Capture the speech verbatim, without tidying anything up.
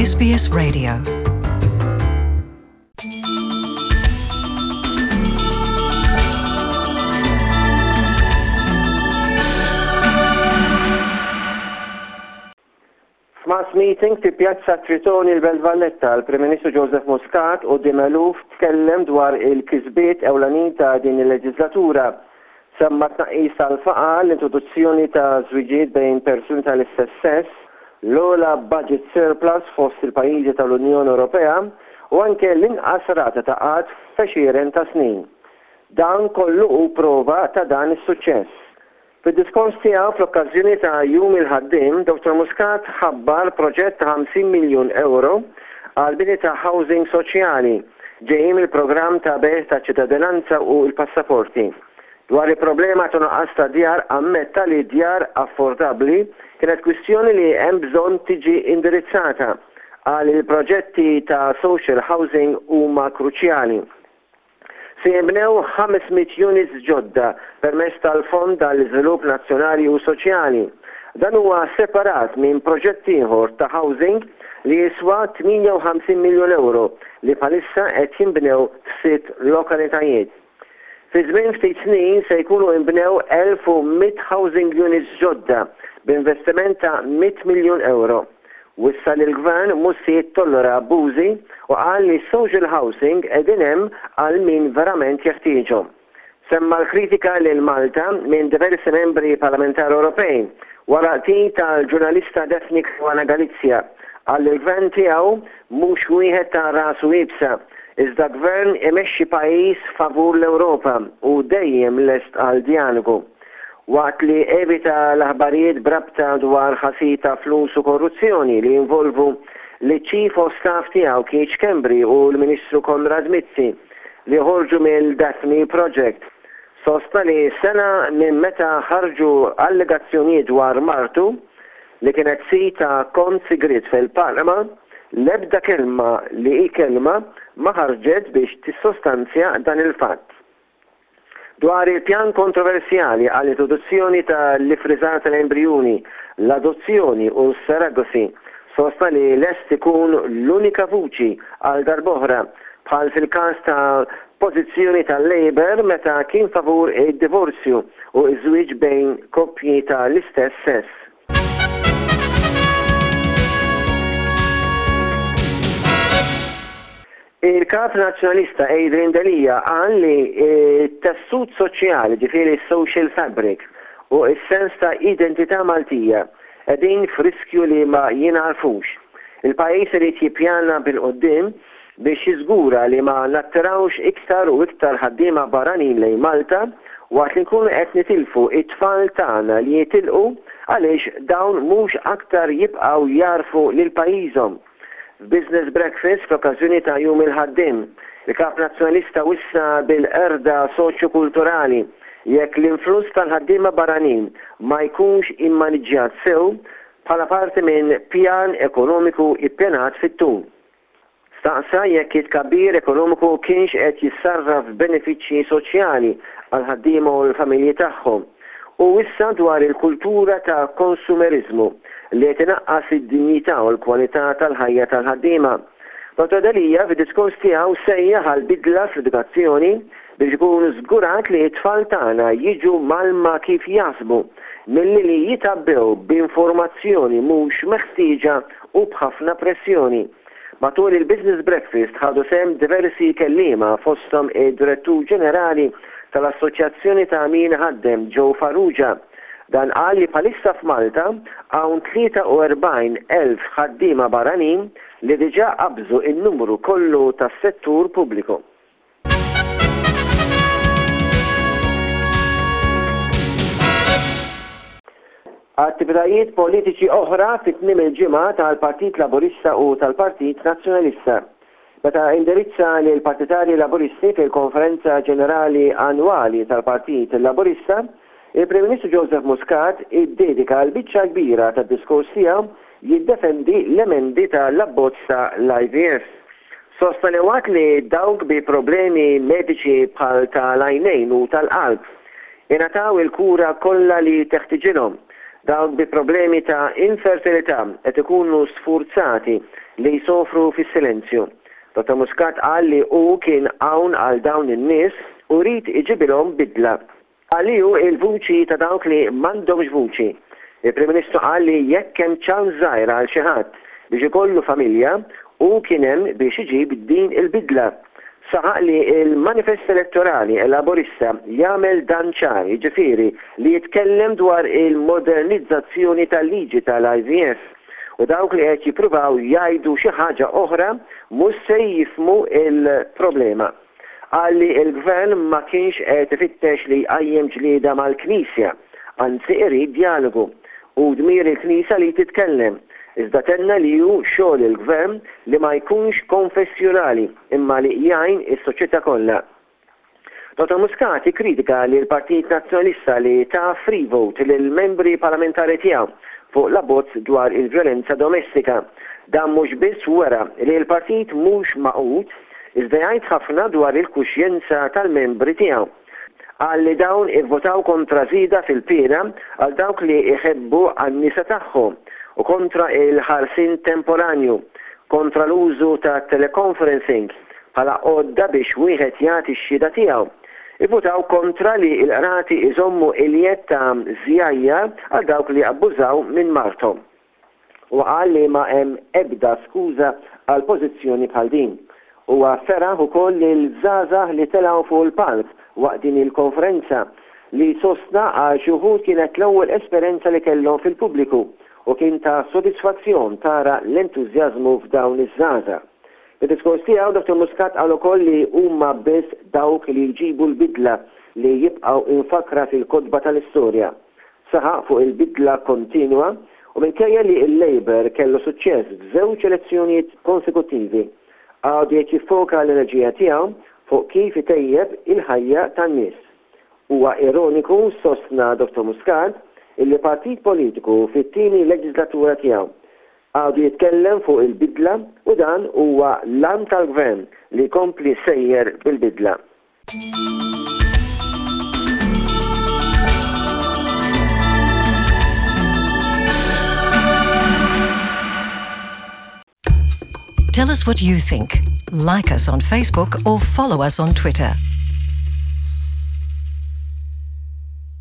S B S Radio. F'mass meeting fi Pjazza Tritoni l-Belt Valletta, l-Prim Ministru Joseph Muscat quddiem eluf tkellem dwar il-kisbiet ewlenin ta' din il-leġislatura. Semma tnaqqis tal-faqar, l-introduzzjoni ta' żwiġijiet bejn persuni tal-istess sess, l-ogħla budget surplus fost il-pajjiżi tal-Unjoni Ewropea u anke l-inqas rata ta' qgħad f'għexieren ta' snin. Dan kollu hu prova ta' dan is-suċċess. Fid-diskors tiegħu fl-okkażjoni ta' Jum il-Ħaddiem, Dottor Muscat ħabbar proġett ta' ħamsin miljun euro għal bini ta' housing soċjali ġejjin mill-programm ta' bejgħ ta' ċittadinanza u l-passaporti. Dwar il-problema ta' nuqqas ta' djar, ammetta li djar affordabbli kienet kwistjoni li hemm bżonn tiġi indirizzata. Qal il-proġetti ta' social housing huma kruċjali. Se jinbnew ħames mitt units ġodda permezz tal-Fond għall-Iżvilupp Nazzjonali u Soċjali. Dan huwa separat minn proġett ieħor ta' housing li jiswa tmienja u ħamsin miljun euro li bħalissa qed jinbnew f'sitt lokalitajiet. Fi żmien ftit snin se jkunu inbnew elf u mitt housing units ġodda b'investiment ta' mitt miljun euro. Wissa li l-gvern mhux se jittollera abbużi u qal li social housing qegħdin hemm għal min verament jeħtieġhom. Semma l-kritika lil Malta minn diversi membri parlamentari Ewropej wara qtil tal-ġurnalista Daphne Caruana Galizia. Qal li l-gvern tiegħu mhux wieħed ta' rasu iebsa, iżda gvern imexxi pajjiż favur l-Ewropa u dejjem lest għal djalogu. Waqt li evita l-aħbarijiet b'rabta dwar ħasil ta' flus u korruzzjoni li jinvolvu li Chief of Staff tiegħu Keith Schembri u l-Ministru Konrad Mizzi li ħorġu mill-Daphne Project, sostna li sena minn meta ħarġu allegazzjonijiet dwar martu li kienet sid ta' kont sigriet fil-Panama, l-ebda kelma li hi kelma ma ħarġet biex tissostanzja dan il-fatt. Dwar il-pjan kontroversjali għall-introduzzjoni tal-ifriżar tal-embrijuni, l-adozzjoni u s-surrogacy, sostna li lest ikun l-unika vuċi għal darb'oħra, bħal fil-każ ta' pożizzjoni tal-Labour meta kien favur id-divorzju u iż-żwieġ bejn koppji tal-istess sess. Il-kap nazzjonalista Adrian Delia qal li t-tessut soċjali, ġifieri social fabric, u s-sens ta' identità Maltija qegħdin f'riskju li ma jingħarfux. Il-pajjiż irid jippjana bil-quddiem biex jiżgura li ma nattirawx iktar u iktar ħaddiema barranin lejn Malta waqt li nkunu qed nitilfu it-tfal tagħna li jitilqu għaliex dawn mhux aktar jibqgħu jagħrfu lil pajjiżhom. F'Business Breakfast fl-okkażjoni ta' Jum il-Ħaddiem, il-kap nazzjonalista wissa bil-qerda soċjo-kulturali jekk l-influss tal-ħaddiema barranin ma jkunx immaniġġjat sew bħala parti minn pjan ekonomiku ippjanat fit-tul. Staqsa jekk it-tkabbir ekonomiku kienx qed jissarraf benefiċċji soċjali għal ħaddiema u l-familji tagħhom. U wissa dwar il-kultura ta' konsumerizmu li qed inaqqas id-dinjità u l-kwalità tal-ħajja tal-ħaddiema. Dottor Delia fid-diskors tiegħu sejjaħ għal bidla fl-edukazzjoni biex ikun żgurat li t-tfal tagħna jiġu mgħallma kif jaħsbu milli li jitgħabbew b'informazzjoni mhux meħtieġa u b'ħafna pressjoni. Matul il-Business Breakfast ħadu sehem diversi kelliema, fosthom id-Direttur Ġenerali tal-Assoċjazzjoni ta' Min Ħaddem Joe Farrugia. Dan qal li bħalissa f'Malta hawn tlieta u erbgħin elf ħaddiema barranin li diġà qabżu in-numru kollu tas-settur pubbliku. Attivitajiet politiċi oħra fit tmiem il-ġimgħa tal-Partit Laburista u tal-Partit Nazzjonalista. Meta indirizza lil partitarji Laburisti fil-Konferenza Ġenerali Annwali tal-Partit Laburista, il-Prim Ministru Joseph Muscat iddedika l-biċċa kbira tad-diskors tiegħu jiddefendi l-emendi tal-abbozz ta' l-I V F. Sostna li waqt li dawk bi problemi mediċi bħal tal-għajnejn u tal-qalb ingħataw il-kura kollha li teħtiġilhom, Dawk bi problemi ta' infertilità qed ikunu sfurzati li jsofru fis-silenzju. Dottor Muscat qal li hu kien hawn għal dawn in-nies u jrid iġibilhom bidla. Qal li hu il-vuċi ta' dawk li m'għandhomx vuċi. Il-Prim Ministru qal li jekk hemm ċans żgħir għal xi ħadd biex ikollu familja, hu kien hemm biex iġib din il-bidla. Saħaq li il-manifest elettorali Laburista jagħmel dan ċar, jiġifieri li jitkellem dwar il-modernizzazzjoni tal-liġi tal-I V F u dawk li qed jippruvaw jgħidu xi ħaġa oħra mhux se jifhmu il-problema. Qal li l-gvern ma kienx qed ifittex li jqajjem ġlieda mal-Knisja, anzi irid dialogu u dmir il-Knisja li titkellem. Iżda tenna li hu xogħol il-gvern li ma jkunx konfessjonali imma li jgħin is-soċjetà kollha. Dottor Muscat kritika li l-Partit Nazzjonalista li ta free vote lil membri parlamentari tiegħu fuq l-abbozz dwar il-vjolenza domestika. Dan mhux biss wera li l-partit mhux magħqud, iżda jgħid ħafna dwar il-kuxjenza tal-membri tiegħu. Qal li dawn ivvotaw kontra żieda fil-piena għal dawk li jħebbu għan-nisa tagħhom u kontra il-ħarsien temporanju, kontra l-użu ta' teleconferencing bħala għodda biex wieħed jagħti x-xhieda tiegħu. Ivvutaw kontra li l-qrati iżommu il-jedd ta' żjajjar għal dawk li abbużaw minn marthom. U qal li ma hemm ebda skuża għal pożizzjoni bħal din. Huwa feraħ ukoll lil żgħażagħ li telgħu fuq il-palk waqt din il-konferenza li sostna għal xi wħud kienet l-ewwel esperjenza li kellhom fil-pubbliku u kien ta' sodisfazzjon tara l-entużjażmu f'dawn iż-żgħażagħ. Fid-diskors tiegħu Dottor Muscat qal ukoll li huma biss dawk li jġibu l-bidla li jibqgħu imfakkra fil-kotba tal-istorja. Saħaq fuq il-bidla kontinwa u minkejja li l-Labour kellu suċċess f'żewġ elezzjonijiet konsekuttivi, għadu qed jiffoka l-enerġija tiegħu fuq kif itejjeb il-ħajja tan-nies. Huwa ironiku, sostna Dottor Muscat, illi partit politiku fit-tieni leġislatura tiegħu għadu jitkellem fuq il-bidla u dan huwa l-għan tal-gvern li jkompli sejjer bil-bidla. Tell us what you think. Like us on Facebook or follow us on Twitter.